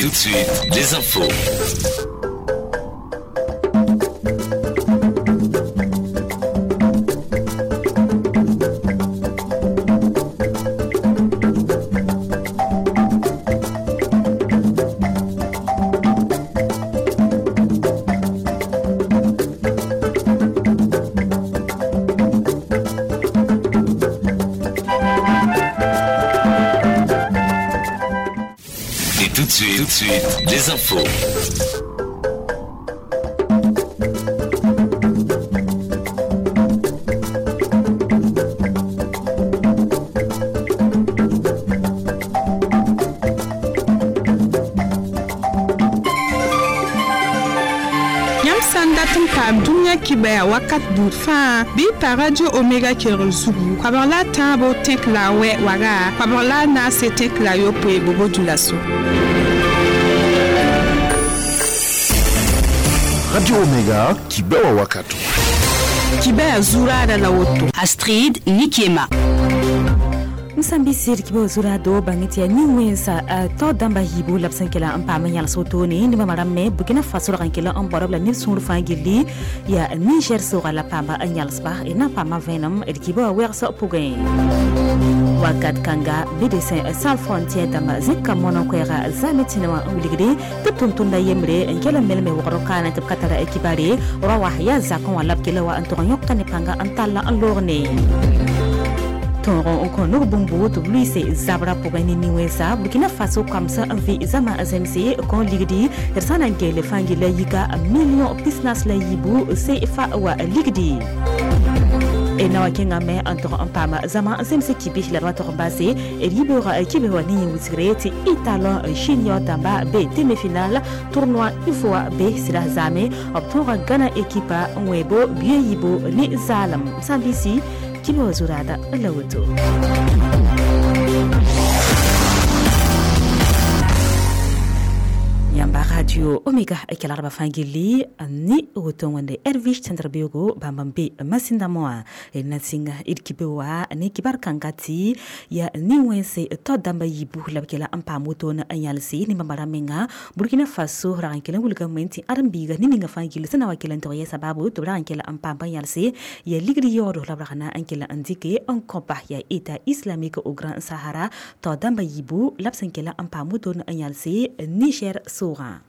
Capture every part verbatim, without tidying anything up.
tout de suite, les infos. Tout de suite, tout de suite, les infos. Yãmb sã n dat n paam dũniyã kibɛa wakat buud fãa bɩ y pa Radio Omega kelgr zugu koabg la a tãabo tẽk la a wɛ waga koabg la a naase tẽk la a yopoe bobo-dulaso. Radio Omega kibɛwa wakato. Kibɛa zuraada la woto. Astrid Nikiema. Msambisir kibo zurado bangiti ya niwensa to damba hibu lapsan kela an paama yãls wotone ne bãmb rãmb me Burkina Faso rag n kela n baoodb la neb sũur fãa gilli ya Niger soga la paamba n yãlsba d na n paama vẽenem d kiba wã wɛgs pʋgẽ wakat kãnga Médecins Sans Frontières dãmba zẽka mono koɛɛga zame tẽne wã n wilgde tɩ b tʋm-tʋmda yembre n kell n melme wogr kaane tɩ b ka tara kibare ra wa yaa zakẽ wã la b kela wa n tog n yõka ne pãnga n tall n loog ne tõog n kõ nug bũmbu tɩ b lʋɩɩse zabra pʋgẽ ne nin-wẽnsa Burkina Faso koamsã n vɩ zãma zemse kõ ligdi d sã na n geele fãa gilla yika million pisnas la yiibu C F A wa ligdi d na wa kẽngame n tog n paama zãma n zemse kibis la d wa tog n base d yibeoogã kibs wa ne yẽ wilsgre tɩ Étalon Junior dãmba be demi-finale tournoi UFOA be sɩda zaame b tõoga Gana ekipa n wẽebo bia yiibu ne zaalem sãn-bisi kibe wa zuraada la woto. Yãmba Radio Omega kelgdbã fãa gilli ne woto wẽnde Ervish tẽndr beoogo bãmb n be masĩndame wã d na sɩnga d kibe wa ne kibar kãnga tɩ ya nin-wẽnse tao dãmba yiibu la b kela n paam wotone n yãlse ne bãmba rãmb menga Burkina Faso rag n kell n wilgame tɩ ãdem-biiga ne ninga fãa gill sẽn na wa kell n tog yɛ sababu tɩ b rag n kell n paam n yãlse ya ligd yaoodo la b rag na n kell n dɩke n kõpa ya État islamique au Grand Sahara tao dãmba yiibu la b sẽn kell n paam wotone n yãlse Niger soogã.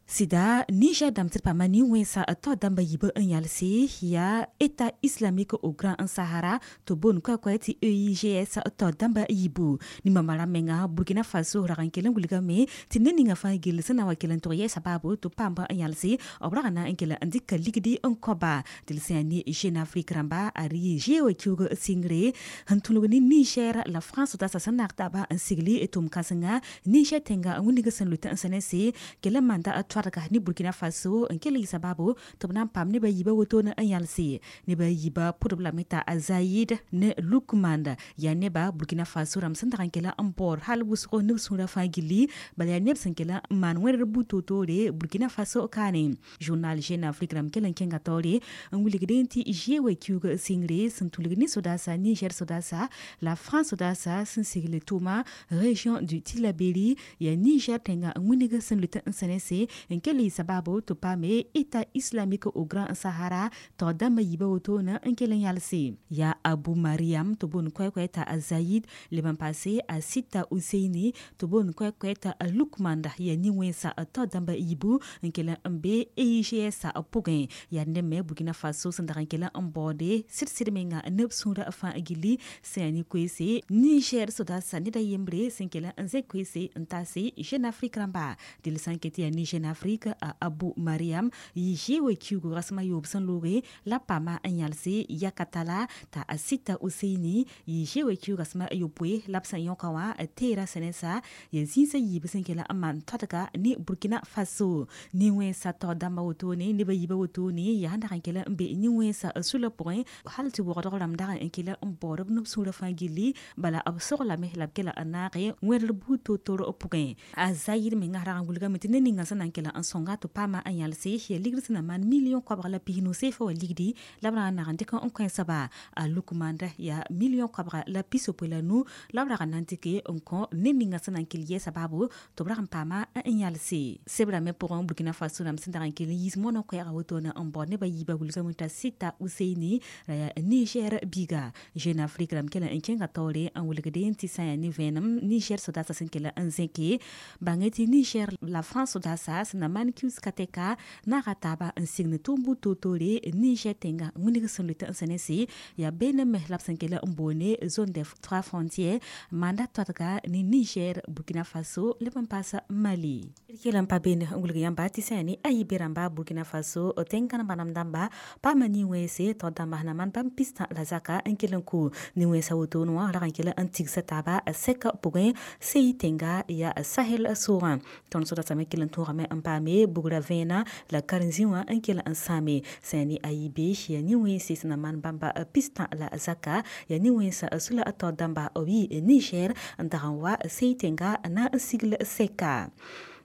Sɩda Niger dãmb tɩ d paama nin-wẽnsa tao dãmba yiibã n yãlse yaa État islamique au Grand Sahara tɩ boond koɛ-koɛ tɩ E I G S tao dãmba yiibu ne bãmba rãmb menga Burkina Faso rag n kell n wilgame tɩ ned ninga fãa gill sẽn na wa kell n tog yɛ sababu tɩ b paamba n yãlse b rag na n kell n dɩka ligdi n kõba tɩ d sẽn yaa ne Jeune Afrique rãmba a rɩ zeoog kiuug sɩngre sẽn tũlg ne Niger la France sodaasã sẽn naag taaba n sigli tʋm kãsenga Niger tẽnga n wilg sẽn lʋɩt n sẽnese kell n manda toadga ne Burkina Faso n kell yɩ sababu tɩ b na n paam neba yiibã wotone n yãlse neba yiibã pʋdb lame t'a Zayid ne Lukmand yaa neba Burkina Faso rãmb sẽn dag n kell n baood hal wʋsgo neb sũurã fãa gilli bala yaa neb sẽn kell n maan wẽdr bu-toor-toore Burkina Faso kaane. Journal Jeune Afrique rãmb kell n kẽnga taoore n wilgdẽ tɩ zeoog kiuug sɩngre sẽn tũlg ne sodaasa Niger sodaasa la France sodaasa sẽn sigl tʋʋma région du Tillabéri yaa Niger tẽnga n wilg sẽn lʋɩt n sẽnese n kell yɩ sababu tɩ paame État islamique au Grand Sahara tao dãmba yiibã wotone n kell n yalse yaa Abu Mariam tɩ boond koɛ-koɛ t'a Zayid leb n paase a Sita Useini tɩ boond koɛ-koɛ t'a Lukmanda yaa nin-wẽnsa tao dãmba yiibu n kell n be E I G S pʋgẽ yaa neb me Burkina Faso sẽn dag n kell n baoode sɩd-sɩd menga neb sũurã fãa gilli sẽn yaa ne koeese Niger sodaasã ned a yembre sẽn kell n zẽk koeese n taase Jeune Afrique rãmba dɩl sã n ket yaa ne Jeune Afrique a Abu Mariam yɩ zeoog kiuug rasem a yoob sẽn looge la paama n yãlse yakatala t'a a Sita Useini yɩ zeoog kiuug rasem a yopoe la b sẽn yõka wã teera sẽnesa yaa zĩisã yiib sẽn kell n maan toadga ne Burkina Faso nin-wẽnsa tao dãmba wotone neba yiibã wotone yaa sẽn dag n kell n be nin-wẽnsa sula pʋgẽ hal tɩ wogdg rãmb dag n kell n baood b neb sũurã fãa gilli bala b soglame la b kela n naage wẽdr buud toor-toor pʋgẽ a Zayid menga rag n wilgame tɩ ned ninga sẽn na n kell kela n sõnga tɩ paama n yãlse ya ligd sẽn na maan million koabg la pisnu seefa wa ligdi la b ra n nag n dɩk n kõ soaba a lukmanda ya million koabga la pisopoe la nu la b rag n na n dɩke n kõ ned ninga sẽn na n kell yɛɛsa baabo tɩ b rag n paama n yalse sebrã me pʋgẽ Burkina Faso rãmb sẽn dag n kell n yiis moonã koɛɛga wotone n bao neba yiibã wilgame t'a sɩta Useini ra yaa Niger biiga Jeune Afrique rãmb kell n kẽnga taoore n wilgde tɩ sã n yaa ne vẽenem Niger sodaasã sẽn kell n zẽke bãnge tɩ Niger la France sodaasã sẽn na maan kius katɛka naaga taaba n sign tʋʋm toor-toore Niger tẽnga wĩneg sẽn lʋɩt n sẽne ya beene me la b sẽn kell n boone zone des trois frontières manda toadga ne Niger Burkina Faso leb n paas Mali d kell n pa beene n wilg yãmba tɩ sã yaa ne ayi be rãmba Burkina Faso tẽn-kãn bãnam dãmba paama nin-wẽnse tao dãmba sẽn na maan bãmb pistã la zaka n kell n kʋ nin-wẽnsã wotone wã rag n kell n tigsa taaba sɛka pʋgẽ seyi tẽnga ya Sahel soogã tõnd sodaasã me kell n tõogame n paame bugra vẽenã la karen-zĩ wã n kell n sãame sã yaa ne ayi be ya nin-wẽnse sẽn na maan bãmba pistã la zaka ya nin-wẽnsã sula tao dãmba b yɩ Niger n dag n wa seyi tẽnga na n sigl sɛka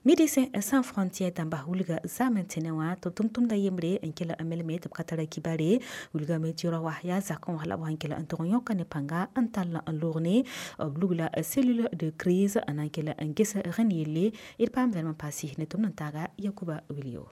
Médecins sans frontières dãmba wilga zaam n tẽne wã tɩ tʋm-tʋmda yembre n kell n melme tɩ b ka tara kibare wilgame tɩ rao wa yaa zakẽ wã la b sẽn kell n tʋg n yõka ne pãnga n tall n loog ne b lugla cellule de crise n na n kell n ges rẽnd yelle d paam vẽenem n paase ne tʋmd n taaga Yakuba Wilio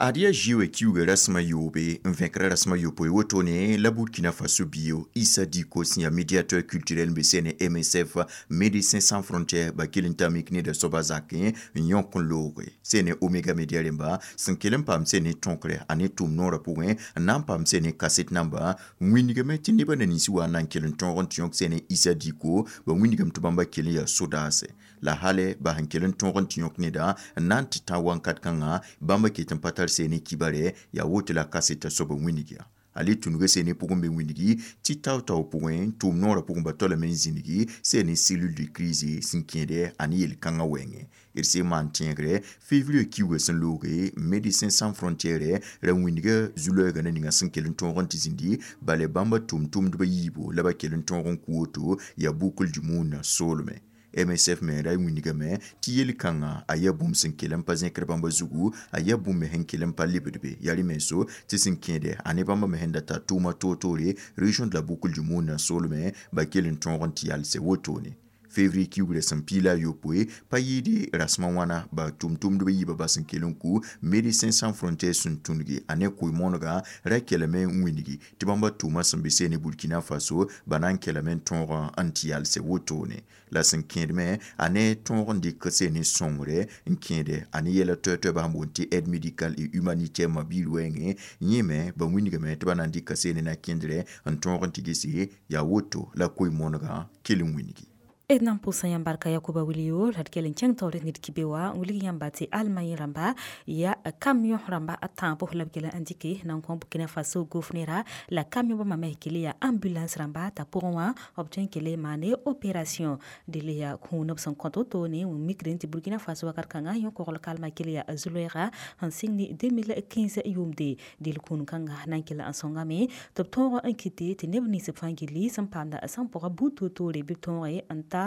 Ad yaa zoe kiuga rasẽm a yoobe n vẽkra rasẽm a yopoe wotone la Burkina Faso bio Issa Diko sẽn yaa médiateur culturel n be sẽne M S F Médecins Sans Frontières ba kell n ta mik neda soaba zakẽ n yõk n looge sẽne Omega Media rẽmba sẽn kell n paam sẽne tõkre a ne tʋm noorã pʋgẽ n na n paam sẽne kaset namba n wĩndgame tɩ nebã na nins wa n na n kell n tõog n tɩ yõk sẽne Issa Diko ba wĩndgame tɩ bãmba kell n yaa sodaase la hale ba sẽn kell n tõog n tɩ yõk neda n na n tɩ tã wãnkat kãngã bãmba ket n pa tar sene kibare ya woto la kaseta soaba wĩnigya ale tũnuga sene pʋgẽ be wĩnigi tɩ tao-tao pʋgẽ tʋʋm noorã pʋgẽ ba tolame n zĩnigi sene cellule de crise sẽn kẽede a ne yel-kãngã wɛɛngẽ d sẽn maan tẽegre février kiuga sẽn looge Médecins Sans Frontières ra wĩndiga zu-loɛɛgã na ninga sẽn kell n tõog n tɩ zĩndi bala bãmba tʋm-tʋmdbã yiibu la ba kell n tõog n kʋ woto yaa boucle du monde soolmẽ M S F me ra wĩndgame tɩ yel-kãngã a yaa bũmb sẽn kell n pa zẽkr bãmba zugu a yaa bũmb me sẽn kell n pa lebd be yaa rẽ menso tɩ sẽn kẽede a ne bãmba me sẽn da tar tʋʋma toor-toore région de la boucle du monde soolmẽ ba kell n tõog n tɩ yalse wotone février kiugrã sẽn piila a yopoe pa yɩɩde rasẽmã wãna ba tʋm-tʋmdbã yiibã bas n kell n kʋ Médecins Sans Frontières sẽn tũngi a ne koe-moonegã ra kelame n wĩndgi tɩ bãmba tʋʋmã sẽn be seene Burkina Faso ba na n kelame n tõog n tɩ yalse wotone la sẽn kẽedme a ne tõog n dɩk seene sõngre n kẽede a ne yɛla toɛ-toɛ bas n boond tɩ aide médicale et humanitaire mabiir wɛɛngẽ yẽ me ba wĩndgame tɩ ba na n dɩka seene na kẽndrɛ n tõog n tɩ gese yaa woto la koe-moonegã kell n wĩndgi d na n pʋʋsa yãmb barka Yakuba Wilio la d kell n kẽng taoor ned kibe wã n wilg yãmba tɩ Allemagne rãmba yaa camion rãmba a tãabo la b kell n dɩke na n kõ Burkina Faso gofnera la camion bãmba me kell yaa ambulance rãmba t'a pʋgẽ wã b tõe n kell maane opération dɩl yaa kũun b sẽn kõt wotone n mikd tɩ Burkina Faso wakat kãngã yõ-kogl kalmã kell yaa zu-loɛɛga sẽn sɩng ne deux mille quinze yʋʋmde dɩl kũun kãnga na n kell n sõngame tɩ b tõog n kɩte tɩ neb nins fãa gilli sẽn paamda sẽn pʋga buud toor-toore bɩ b tõoge n ta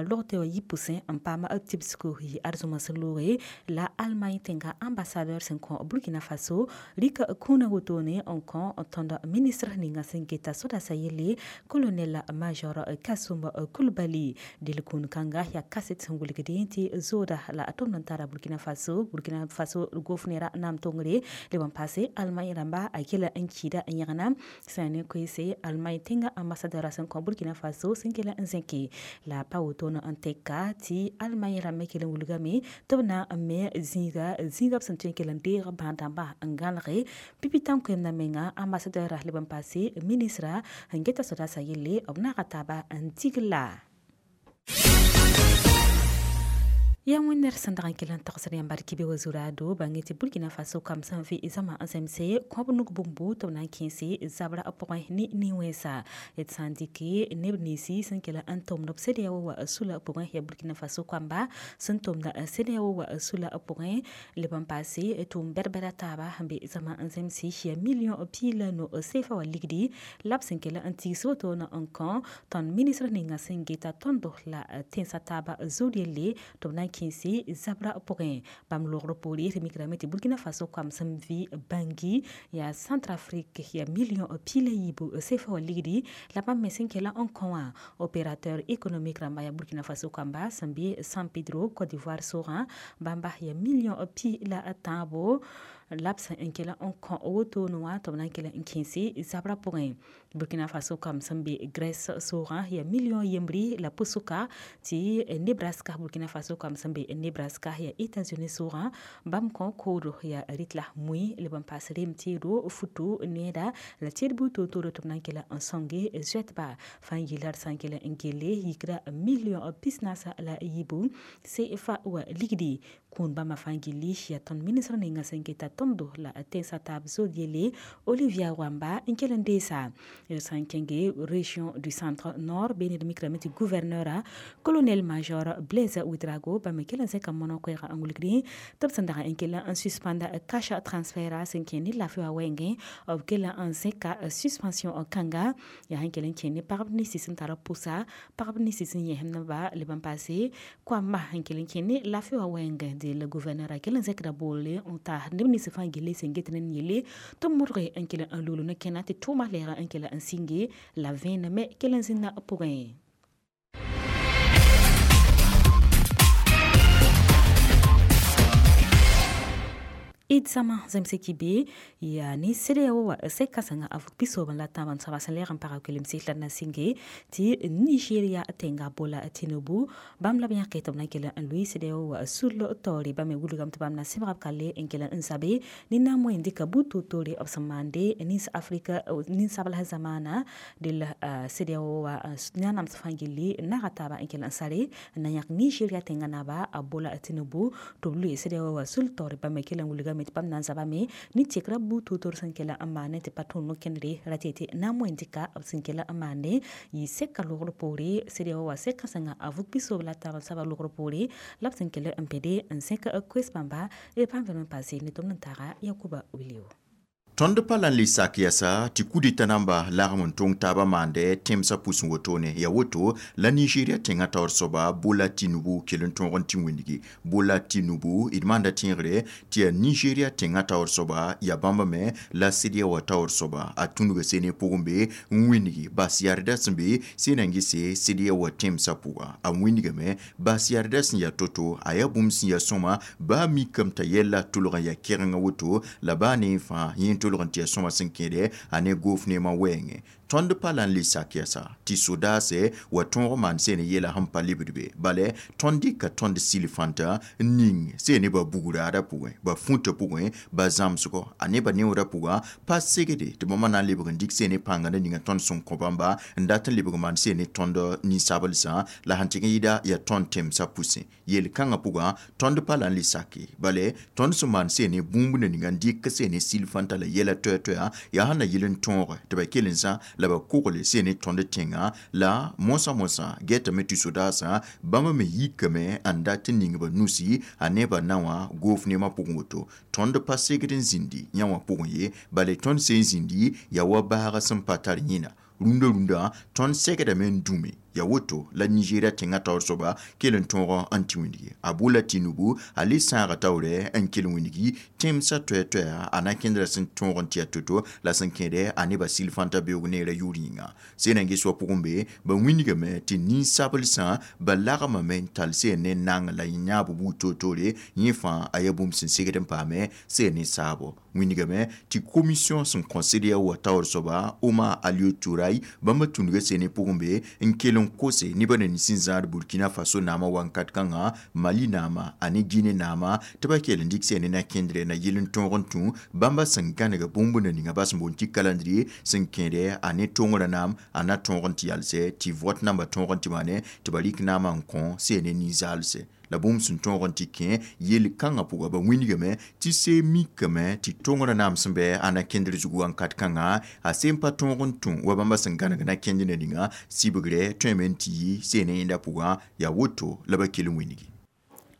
logte wa yipusẽ n paam tibsgo yɩ arzũmã sẽn looge la Allemagne tẽnga ambassadeur sẽn kõ Burkina Faso rɩka kũunã wotone n kõ tõnd ministre ninga sẽn geta sodasa yelle colonel major Kassoum Coulibaly dɩl kũun kãnga yaa kaset sẽn wilgdẽ tɩ zooda la tʋmd n tara Burkina Faso Burkina Faso gofnera naam tongre leb n paase Allemagne rãmba a kela n kiida n yẽgna sã ne koeese Allemagne tẽnga ambassadeur sẽn kõ Burkina Faso sẽn kela n zẽke la pa wotone n tɛka tɩ Allemagne rãmb kell n wilgame tɩ b na n me zĩiga zĩiga b sẽn tõe n kell n deeg bãad-dãmba n gãlge pipi tãn-koɛɛmdã menga ambassadeur leb n paase ministra n geta sodaasã yelle b naaga taaba n tigla yaa wẽnnaar sẽn dag n kell n tagsd yãmb bark be wa zuraado bãnge tɩ Burkina Faso kam sẽn vɩ zãma n zemse kõb nug bũmbu tɩ b na n kẽese zabra pʋgẽ ne nin-wẽnsa d sã n dɩke neb ninsi sẽn kell n tʋmd b CEDEAO wa sula pʋgẽ yaa Burkina Faso kambã sẽn tʋmda CEDEAO wa sula pʋgẽ leb n paase tʋʋm bɛd-bɛda taaba sẽn be zãma n zemse yaa million piig la no seefa wa ligdi la b sẽn kell n tigs wotone n kõ tõnd ministre ninga sẽn geta tõndo la tẽnsã taaba zood yelle tɩ b na n kẽese zabra pʋgẽ bãmb logr poore tɩ mikrame tɩ Burkina Faso koam sẽn vɩ Bangui yaa Centrafrique yaa million pia la yiibu C F A wã ligdi la bãmb me sẽn kela n kõ wã opérateur économique rãmba yaa Burkina Faso koamba sẽn be San Pedro, Côte d'Ivoire sogã bãmba yaa million pi la tãabo la b sẽn n kela n kõ wotone wã tɩ b na n kela n kẽese zabra pʋgẽ. Burkina Faso koam sẽn be Grèce sogã yaa million yembri la pʋsʋka tɩ Nebraska, Burkina Faso koam sẽn be Nebraska yaa États-Unis sogã bãmb kõ koodo yaa rɩtla mui leb n paas rem teedo futu needa la tẽed buud toor-tooro tɩ b na n kela n sõnge zoɛtba fãa yɩla d sã n kela n gelle yikra million pisnaasa la yiibu C F A wa ligdi kũun bãmba fãa gilli yaa tõnd ministr ninga sẽn keta tõndo la tẽnsã taab zod yelle Olivia Wamba n kell n deesa sã n kẽnge région du Centre Nord be ned mikrame tɩ gouverneur colonel major Blaise Ouedraogo bãmb me kell n zẽka mono koɛɛga n wilgdẽ tɩ b sẽn dag n kell n suspenda cash transfert sẽn kẽ ne laafɩ wã wɛɛngẽ b kell n zẽka suspension kãnga yaa sẽn kell n kẽ ne pagb ninsi sẽn tar pʋsa pagb ninsi sẽn yẽsemdba leb n paase koamba sẽn kell n kẽ ne laafɩ wã wɛɛngẽ de la gouverneur a kell n zẽkda boole n ta neb nins fãa gilli sẽn get ne yelle tɩ modge n kell n lugl ne kẽna tɩ tʋʋma lɛɛga n kell n sĩnge la vẽenem kell n zĩnda pʋgẽ. D zãma zẽmse kibe yaa ne C E D E A O wa sɛk kãsenga a vʋg pisoobẽ la tãab n soaba sẽn lɛɛg n pagã kelemse la d na sɩnge tɩ Nigeria tẽnga Bola Tinubu bãmb la b yãke tɩ b na kell n lʋɩ C E D E A O wa sul taoore bãmb me wilgame tɩ bãmb na sẽbga b kalle n kell n zabe ne na n moẽ dɩka buud toor-toore b sẽn maande nins Afrika ninsabls zamaana dell C E D E A O wa nanams fãa gilli naga taaba n kell n sare n na yãk Nigeria tẽnga naba a Bola Tinubu tɩ b lʋɩ C E D E A O wa sul taoore bãmb me kell n wilgame tɩ bãmb na n zabame ne tekra buud toor-toor sẽn kell n maane tɩ pa tõnd no-kẽndre ra tɩ na n moẽ dɩka b sẽn kell n maande yɩ sɛka logr poore C E D E A O wa sɛk kãsenga a vʋg pisoobã la taab n saba logr poore la b sẽn kell n pẽde n zẽk koes bãmba d pãn vẽnem n paase ne tɩ b n taaga Yakuba Wilio. Tõnd pa la n le sak yɛsa tɩ kudita namba lagm n tõng taabã maandɛ tẽmsã pʋsẽ wotone ya woto la Nigeria tẽngã taoor soaba Bola Tinubu kell n tõog n tɩ wĩndgi. Bola Tinubu d maanda tẽegre tɩ yaa Nigeria tẽngã taoor soaba ya bãmb me la C E D E A O wã taoor soaba a tũnuga sene pʋgẽ be n wĩndgi bas yarda sẽn be sẽn na n gese C E D E A O wã tẽmsã pʋga a wĩndgame bas yarda sẽn yaa to-to a yaa bũmb sẽn yaa sõma baa mikame t'a yɛlla tʋlg n yaa kɛgengã woto la baa ne fãa yẽ tʋlg n tɩ yaa sõma sẽn kẽede a ne goof neemã wɛɛngẽ. Tõnd pa la n le sak yɛsa tɩ sodaasɛ wa tõog maan seen yeela sẽn pa lebd be bala tõnd dɩka tõnd sil-fãntã n ning seen ne ba bugraada pʋgẽ ba fũtã pʋgẽ ba zãmsgɔ a ne ba neoodã pʋgã pa segde tɩ bãmba na n lebg n dɩk seen ne pãnga na ninga tõnd sẽn kõ bãmba n dat n lebg maan seen ne tõnd ninsabelsã la sẽn tɩg n yɩɩda yaa tõnd tẽmsã pʋsẽ yel-kãngã pʋgã tõnd pa la n le sake bala tõnd sẽn maan seen ne bũmb na ninga n dɩk seen ne sil-fãntã la yɛla toɛ-toɛa yaa sẽn na yɩl n tõoge tɩ ba kell n zã la ba kogle seen ne tõnd tẽngã la moasã moasã gɛtame tɩ sodaasã bãmb me yikame n dat n ning ba nusi a ne ba na wã goof neemã pʋgẽ woto tõnd pa segd n zĩndi yã wã pʋgẽ ye bala tõnd sẽn zĩndi yaa wa baagã sẽn pa tar yẽna rũndã rũndã tõnd segdame n dũme ya woto la Nigeria tẽngã taoor soaba kell n tõog n tɩ wĩndgi a Bola Tinubu a le sãaga taoorɛ n kell wĩndgi tẽmsã toɛ-toɛa a na kẽndra sẽn tõog n tɩ yaa to-to la sẽn kẽedɛ a nebã sil-fãntã beoog neerã yʋʋr yĩnga sẽn na n ges wa pʋgẽ be ba wĩndgame tɩ ninsabelsã ba lagmame n tall seen ne nang la yãab buud toor-toore yẽ fãa a yaa bũmb sẽn segd n paame seen ne saabo wĩndgame tɩ commission sẽn kõ C E D E A O wa taoor soaba Omar Alieu Touray bãmba tũnuga seen ne pʋgẽ be n kell n kose nebã na nins n zãad Burkina Faso naamã wankat kãngã Mali naama a ne Guinée naama tɩ ba kell n dɩk sẽn ne na-kẽndrɛ na yɩl n tõog n tũ bãmba sẽn gãnega bũmb na ninga bas n boond tɩ calendrier sẽn kẽedɛ a ne tõngrã naam a na tõog n tɩ yalsɛ tɩ vote namba tõog n tɩ maane tɩ ba rɩk naamã n kõ seen ne nin-zaalsɛ la bũmb sẽn tõog n tɩ kẽ yel-kãngã pʋga ba wĩndgame tɩ see mikame tɩ tõngrã naam sẽn bɛ a na-kẽndr zugu wankat kãngã a sẽn pa tõog n tũ wa bãmba sẽn gãneg na-kẽnd na ninga sibgrɛ tõeme n tɩ yi seen ne yẽnda pʋgã yaa woto la ba kell n wĩndgi.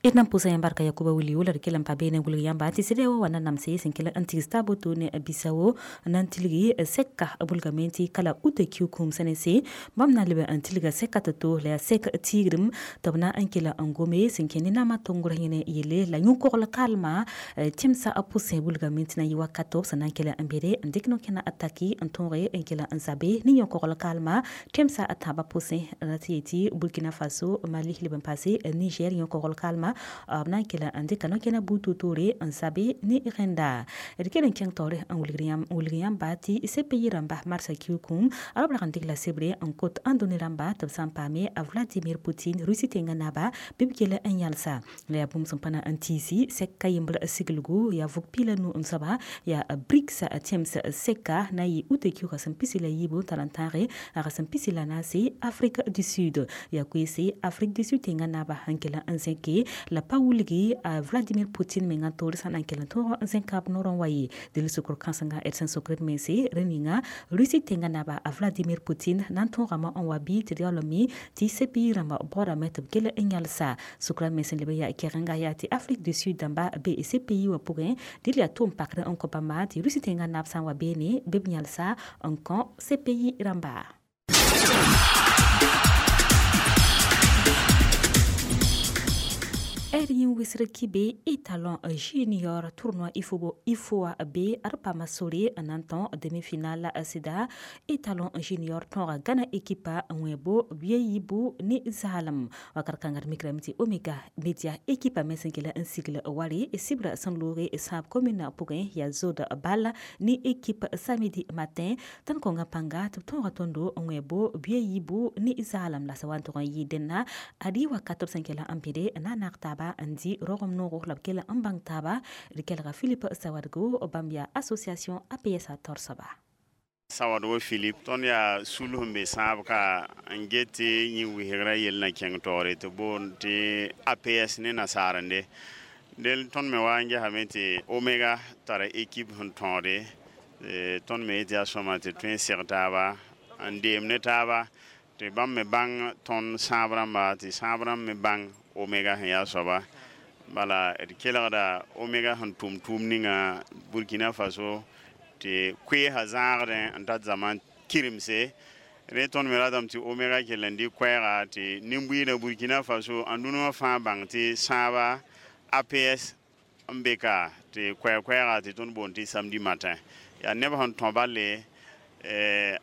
D na n pʋʋsa yãmb barka Yakuba Wilio la d kell n pa beene wilg yãmba tɩ sɩd wa na namse sẽn kell n tigs taab woto ne Bissau na n tilgi sɛka bulgame tɩ kala uta kiukum sẽn se bãmb na n leb n tilga sɛka to-to la yaa sɛk tigrem tɩ b na n kela n gome sẽn kẽ ne naamã tʋngr yẽne yelle la yũ-kogl kalma tẽmsã a pʋsẽ bulgame tɩ na yɩ wakato b sẽn na n kela n bede n dɩk no-kẽna a taki n tõoge n kela n zabe ne yũ-kogl kalma tẽmsã a tãabã pʋsẽ la tɩ yetɩ Burkina Faso, Mali leb n paase Niger yũ-kogl kalma b na n kela n dɩka no-kẽna buud toor-toore n zabe ne rẽnda. D kell n kẽng taoore n wilg yãmba tɩ C P I rãmba marsã kiukum b rag n dɩk la sebre n kot ãndũni rãmba tɩ b sã n paame a Vladimir Poutine, Rusi tẽngã naba, bɩ b kell n yãlsa la yaa bũmb sẽn pa na n tiisi sɛka yembr siglgu yaa vʋg piila nu n soaba yaa BRICS tẽms sɛka na n yɩ uta kiuga sẽn pisi la yiibu n tar n tãage a sẽn pisi la naase Afrique du Sud. Yaa koeese Afrique du Sud tẽngã naba n kell n zẽke la pa wilgi a Vladimir Poutine menga toor sã na n kell n tõog n zẽka b noorẽ wa ye del sokr kãsenga d sẽn sokr d mense rẽ ninga Rusi tẽngã naba a Vladimir Poutine na n tõogame n wa bɩ tɩ d yaool n mi tɩ C P I rãmba baoodame tɩ b kell n yãlsa sokra me sẽn leb n yaa kɛgenga yaa tɩ Afrique du Sud dãmba be C P I wã pʋgẽ dɩl yaa tʋʋm pakr n kõ bãmba tɩ Rusi tẽngã nab sã n wa beene bɩ b yãlsa n kõ C P I rãmba. R yẽ wɩsr kibe étalon junior tournoi ifo ifoa be ad paama sore n na n tõ demi-finale sɩda étalon junior tõoga Gana ekipa n wẽebo bia yiibu ne zaalem wakat kãnga d mikrame tɩ Omega Media ekipa me sẽn kell n sigl ware sɩbrã sẽn looge sãab commune pʋgẽ yaa zod bal ne équipe Samedi Matin tõnd kõnga pãnga tɩ b tõoga tõndo n wẽebo bia yiibu ne zaalem la sã wa n tʋg n yɩ dẽnna ad yɩ wakat b sẽn kell n bẽde n na n naag taaba n dɩ rogem noogo la b kell n bãng taaba. D kelga Philippe Sawadgo, bãmb yaa association A P S a taoor soaba. Sawadgo Philip, tõnd yaa sul sẽn be sãab ka n get tɩ yẽ wɩsgrã yell na kẽng taoore tɩ boond tɩ A P S ne nasaarende del. Tõnd me wa n gesame tɩ Omega tara équipe sẽn tõode. Tõnd me yetɩ yaa sõma tɩ tõe n seg taaba n deem ne taaba tɩ bãmb me bãng tõnd sãab rãmba tɩ sãab rãmb me bãng Omega sẽn yaa soaba. Bala d kelgda Omega sẽn tʋm tʋʋm ninga Burkina Faso tɩ koeesã zãagdẽ n tat zãma kiremse re. Tõnd me ratame tɩ Omega kell n dɩ koɛɛga tɩ nin-buiidã Burkina Faso ãndũnwã fãa bãng tɩ sãaba A P S n be ka tɩ koɛɛ-koɛɛga tɩ tõnd boond tɩ Samedi Matin yaa neb sẽn tõ balle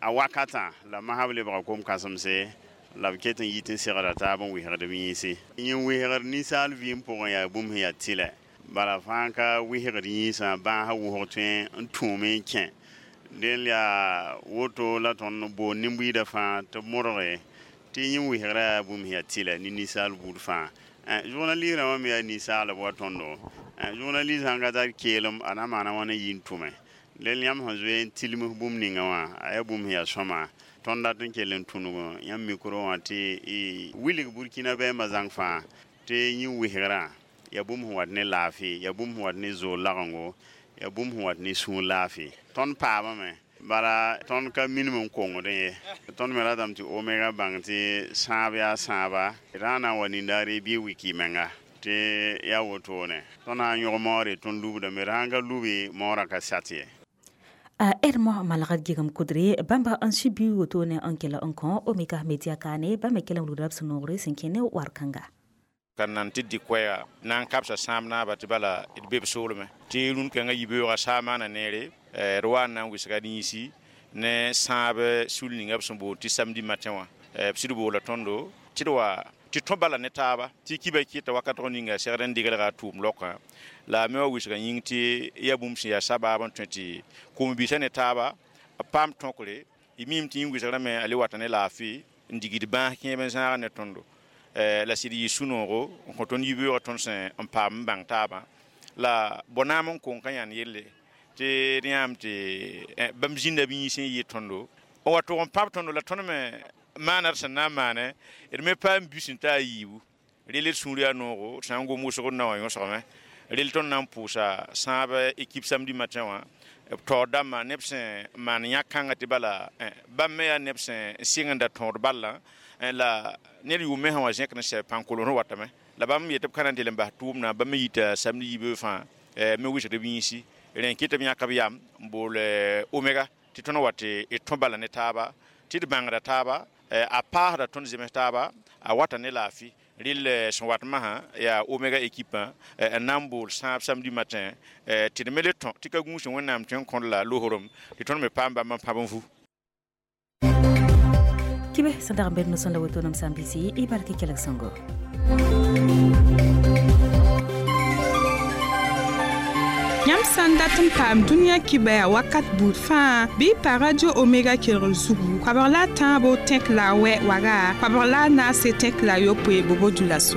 a wakatã la masb lebga kom-kãsemse la b ket n yit n segda taab n wɩsgd b yĩnse. Yẽ wɩsgd ninsaal vɩɩm pʋgẽ yaa bũmb sẽn yaa tɩlɛ bala fãa ka wɩsgd yĩnsã bãasã wʋsg tõe n tũume n kẽ del yaa woto la tõnd boond nin-buiidã fãa tɩ b modge tɩ yẽ wɩsgrã yaa bũmb sẽn yaa tɩlɛ ne ninsaal buud fãa. Journaliste rãmbã me yaa ninsaalb wa tõndo. Journaliste sãn ka tar keelem a na maana wãna yi n tʋme del yãmb sẽn zoe n tilms bũmb ninga wã a yaa bũmb sẽn yaa sõma. Tõnd dat n kell n tũnug yãmb micro wã tɩ wilg Burkina bɛɛmbã zãng fãa tɩ yẽ wɩsgrã yaa bũmb sẽn wat ne laafɩ, yaa bũmb sẽn wat ne zoor lagengo, yaa bũmb sẽn wat ne sũur laafɩ. Tõnd paamame bala tõnd ka minim n kongdẽ ye. Tõnd me ratame tɩ Omega bãng tɩ sãab yaa sãaba rã na n wa nindaare bɩ wiki menga tɩ yaa wotone tõnd sã n yõg maoore tõnd lubdame d sãn ka lubi maoorã ka sat ye. A ermo malgad gigam kudre bamba n subi wotone n kell n kõ Omega Media kaane bãmb me kell n wilgra b sẽn noogre sẽn kẽ ne war kãnga. Ka nan tɩ dɩ koɛɛga na n kabsa sãam naaba tɩ bala d be b soolmẽ tɩ rũn-kãngã yibeoogã saa maana neere d wa n na n wɩsga d yĩnsi ne sãab sul ninga b sẽn boond tɩ Samedi Matin wã. B sɩd boola tõndo tɩ d wa tɩ tõ bala ne taaba tɩ kiba kɩta wakatg ninga segd n degelga a tʋʋm laokã la a me wa wɩsga yĩng tɩ yaa bũmb sẽn yaa sabaab n tõe tɩ kom-biisã ne taaba b paam tõkre y miime tɩ yĩng wɩsgrã me a le wata ne laafɩ n digd bãas kẽeb n zãag ne tõndo la sɩd yɩ sũ-noogo n kõ tõnd yibeoogã tõnd sẽn n paam n bãng taabã la bõnaam n kong ka yãnd yelle tɩ d yãam tɩ bãmb zĩnda b yĩns n yɩ tõndo n wa tʋg n pãb tõndo la tõnd me maana d sẽn na n maane d me paam bus n ta a yiibu rel d sũur yaa noogo d sã n gom wʋsg d na wã yõsgame rel tõnd na n pʋʋsa sãab équipe Samedi Matin wã b taoor dãmbã neb sẽn maan yã-kãngã tɩ bala bãmb me yaa neb sẽn sɩng n da tõod ballã la ned yʋʋm me sã wa zẽkd n sɛ pãn-kolos watame. La bãmb yetɩ b ka na n tɩ n bas tʋʋmdã, bãmb me yita samdi yiibã fãa me wɩsgd b yĩnsi. Rẽ n kɩt b yãk b yam n bool Omega tɩ tõnd wa tɩ d tõ bala ne taaba, tɩ d bãngda taaba, a paasda tõnd zems taaba, a wata ne laafɩ. Rɩl sẽn wat masã yaa Omega équipe n na n bool sãab samedi matin tɩ d me le tõ tɩ ka gũus Wẽnnaam tõe n kõd la loosrem tɩ tõnd me paam bãmb n pãb n vu. Kibe sẽn dag n bed no-sõnda woto nem sã n bisi y bark kelg sõngo. Yãmb sã n dat n paam dũniyã kibaya wakat buud fãa, bɩ y pa Radio Omega kelgr zugu, koabg la a tãabo tẽk la a wɛ waga, koabg la a naase tẽk la a yopoe bobo-dioulasso.